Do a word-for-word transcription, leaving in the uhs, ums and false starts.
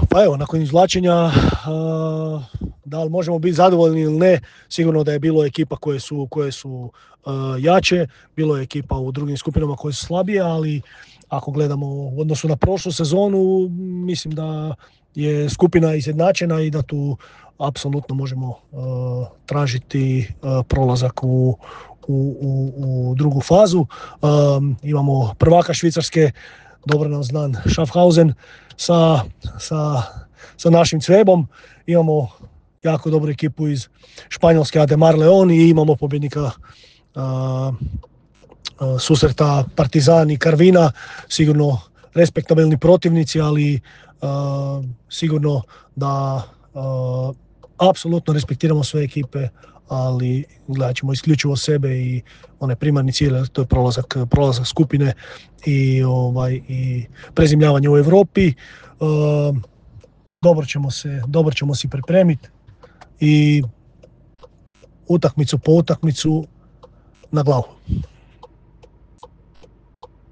Pa evo, nakon izvlačenja, uh, da li možemo biti zadovoljni ili ne, sigurno da je bilo ekipa koje su, koje su uh, jače, bilo je ekipa u drugim skupinama koje su slabije, ali ako gledamo u odnosu na prošlu sezonu, mislim da je skupina izjednačena i da tu apsolutno možemo uh, tražiti uh, prolazak u, u, u, u drugu fazu. Um, imamo prvaka Švicarske, dobro nam znan Schaffhausen, sa, sa, sa našim Cvebom. Imamo jako dobru ekipu iz Španjolske Ademar Leon i imamo pobjednika uh, uh, susreta Partizan i Karvina. Sigurno respektabilni protivnici, ali uh, sigurno da uh, apsolutno respektiramo sve ekipe, ali gledat ćemo isključivo sebe i onaj primarni cilj, to je prolazak, prolazak skupine i, ovaj, i prezimljavanje u Europi. Uh, dobro ćemo se, dobro ćemo si pripremiti i utakmicu po utakmicu na glavu.